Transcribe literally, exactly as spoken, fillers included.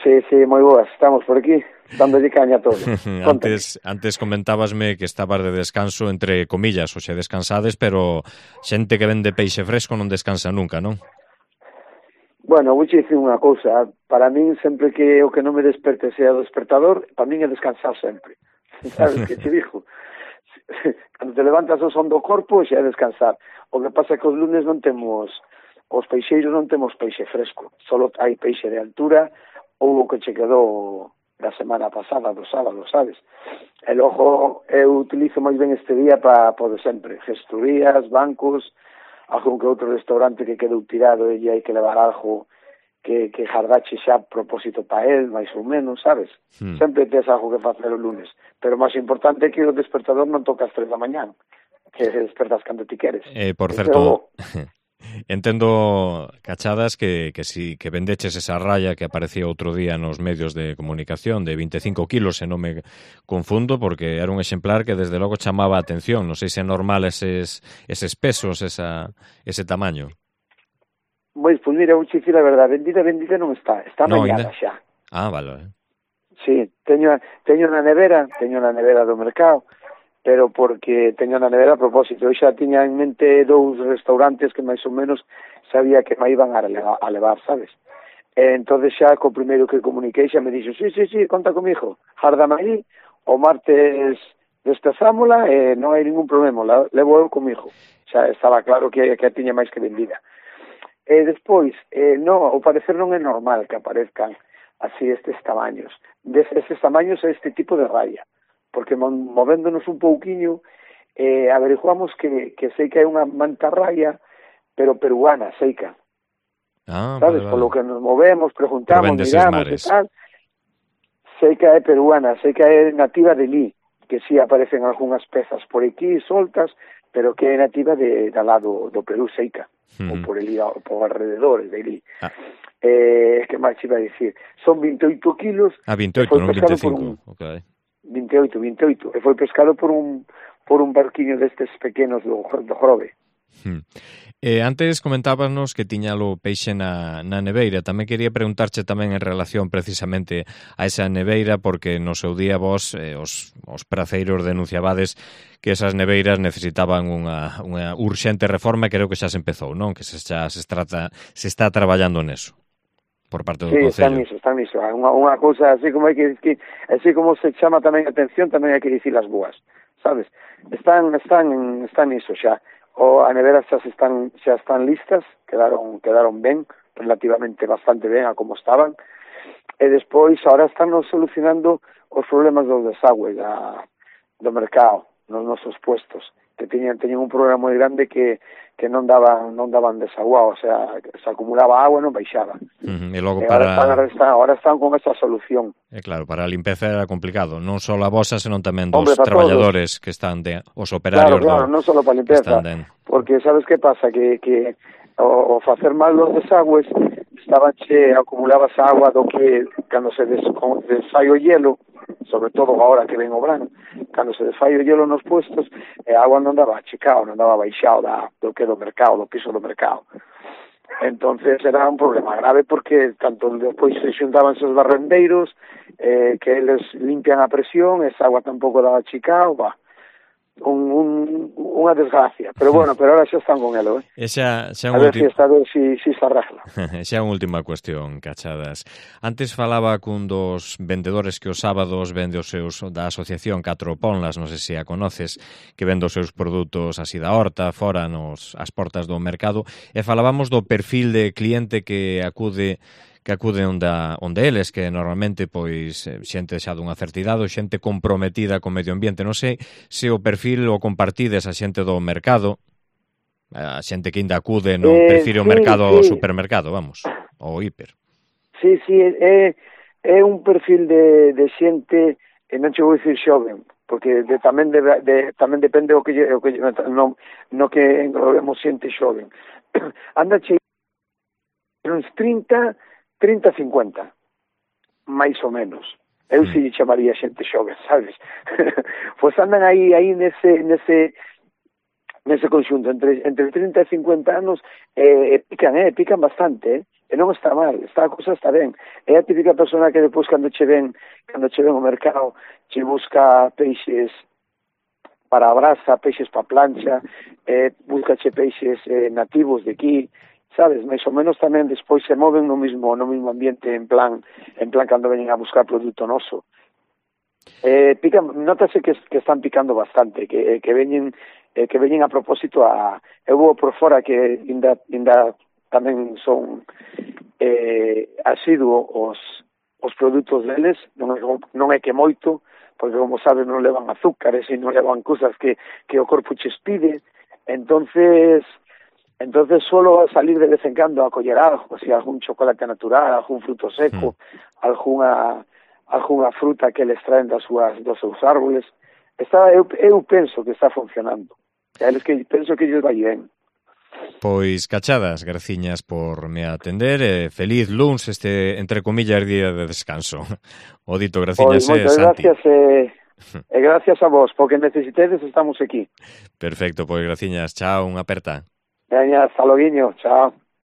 Sí, sí, moi boas, estamos por aquí, dándolle caña a todo. antes, antes comentábasme que estabas de descanso entre comillas, o xe descansades, pero xente que vende peixe fresco non descansa nunca, non? Bueno, vou dicir unha cousa, para min sempre que o que non me desperte sea o despertador, para min é descansar sempre. Sabes que te digo? Cando te levantas o son do corpo, xa é descansar. O que pasa é que os lunes non temos, os peixeiros non temos peixe fresco, solo hai peixe de altura ou o que che quedou da semana pasada, do sábado, sabes? E logo eu utilizo máis ben este día para, por sempre, gestorías, bancos, algún que outro restaurante que quedou tirado e hai que levar algo que, que jardache xa a propósito para él, máis ou menos, sabes? Hmm. Sempre tes algo que facer o lunes. Pero o máis importante é que o despertador non toca as tres da mañán, que despertas cando ti queres. Eh, por certo... Eso... Entendo, Cachadas, que, que si que vendeches esa raya que aparecía outro día nos medios de comunicación de vinte e cinco kilos, se non me confundo, porque era un exemplar que desde logo chamaba a atención. Non sei se é normal eses, eses pesos, esa, ese tamaño. Pois, pois mira, vou dicir a verdade, vendida, vendida non está, está no, mañada ainda... xa. Ah, vale. Sí, teño, teño na nevera, teño na nevera do mercado, pero porque teño na nevera a propósito. Eu xa tiña en mente dous restaurantes que máis ou menos sabía que me iban a levar, a levar, sabes? E entonces xa co primeiro que comuniquei xa me dixo, sí, sí, sí, conta comigo, járdame aí, o martes despezámola e non hai ningún problema, la, levo eu comigo. Xa estaba claro que, que a tiña máis que vendida. E despois, eh, no, ao parecer non é normal que aparezcan así estes tamaños. Des, estes tamaños é este tipo de raya. Porque movéndonos un pouquiño eh, averiguamos que, que sei que hai unha mantarraya pero peruana, seica. Ah, sabes, vale, vale. Polo que nos movemos, preguntamos, miramos e tal. Seica é peruana, seica é nativa de Lí, que si sí aparecen algunhas pezas por aquí soltas, pero que é nativa de, de lado do Perú, seica, mm-hmm. ou por Lí, ou por alrededores de Lí. Ah. Eh, que máis iba a dicir? Son vinte e oito kilos. Ah, vinte e oito, non vinte e cinco. Un... Ok. vinte e oito, vinte e oito, e foi pescado por un por un barquiño destes pequenos do, do Jorobe. Hmm. Eh, antes comentábanos que tiñalo peixe na, na neveira. Tamén quería preguntarche tamén en relación precisamente a esa neveira, porque no seu día vos, eh, os, os praceiros denunciabades que esas neveiras necesitaban unha, unha urxente reforma, e creo que xa se empezou, non? Que se, xa se, trata, se está traballando neso por parte do sí, Concello. Sí, están niso, están niso. Unha, unha cousa así como hai que dicir, así como se chama tamén a atención, tamén hai que dicir as boas, sabes? Están están están niso xa. O a nevera xa están xa están listas, quedaron quedaron ben, relativamente bastante ben a como estaban. E despois agora están nos solucionando os problemas dos desagües da do mercado, nos nosos puestos, que teñan teñen un problema moi grande que que non daban non daban desaguado, o sea, se acumulaba agua e non baixaba. Uh-huh. E logo e para ahora están, ahora están con esa solución. É claro, para a limpeza era complicado, non só a vosa, senón tamén dos Hombre, traballadores todos. Que están de os operarios. Claro, claro, do, non só para a limpeza, de... porque sabes que pasa que que o, o facer mal los desagües estaban che acumulábase agua do que cando se des, desfai o hielo, sobre todo agora que ven o verano, cando se desfai o hielo nos puestos, e a agua non daba achicado, non daba baixado da, do que do mercado, do piso do mercado. Entonces era un problema grave porque tanto depois se xuntaban esos barrendeiros eh, que eles limpian a presión, esa agua tampouco daba achicado, va. Un, un, unha desgracia, pero bueno, pero ahora xa están con elo, eh? Xa, xa a ver ulti... si está, a ver si, si se arregla. Xa unha última cuestión, Cachadas. Antes falaba cun dos vendedores que os sábados vende os seus da asociación Catro Ponlas, non sei se a conoces, que vende os seus produtos así da horta, fora nos as portas do mercado, e falábamos do perfil de cliente que acude que acude onde, onde eles, que normalmente pois xente xa dunha certa idade, xente comprometida co medio ambiente. Non sei se o perfil o compartides a xente do mercado, a xente que ainda acude, non eh, prefire sí, o mercado sí. ao supermercado, vamos, ou hiper. Sí, sí, é, é un perfil de, de xente, e non che vou dicir xoven, porque de, tamén, de, de, tamén depende o que, o que no, no que englobemos xente xoven. Anda che uns trinta, trinta, cincuenta, máis ou menos. Eu mm. si chamaría xente xoven, sabes? Pois andan aí aí nese nese nese conxunto entre entre trinta e cincuenta anos, eh, pican, eh, pican bastante, eh. E non está mal, está a cousa está ben. É a típica persona que depois cando che ven, cando che ven ao mercado, che busca peixes para a brasa, peixes para plancha, eh, busca che peixes eh, nativos de aquí, sabes, máis ou menos tamén despois se moven no mismo no mismo ambiente en plan en plan cando veñen a buscar produto noso. Eh, pican, notase que, que están picando bastante, que, que veñen eh, que veñen a propósito a eu vou por fora que inda, inda tamén son eh, asiduo os, os produtos deles, non é, non é que moito, porque como sabes non levan azúcares e non levan cousas que, que o corpo che pide, entonces entonces suelo salir de vez en cando a coller algo, así, algún chocolate natural, algún fruto seco, mm. alguna alguna fruta que les traen das súas, dos seus árboles. Está, eu, eu penso que está funcionando. Eles que penso que ellos vai ben. Pois, cachadas, graciñas por me atender e feliz luns este, entre comillas, día de descanso. O dito, graciñas, pois, moitas gracias e, e gracias a vos, porque necesitedes estamos aquí. Perfecto, pois graciñas, chao, unha aperta. Veña, hasta loguiño, chao.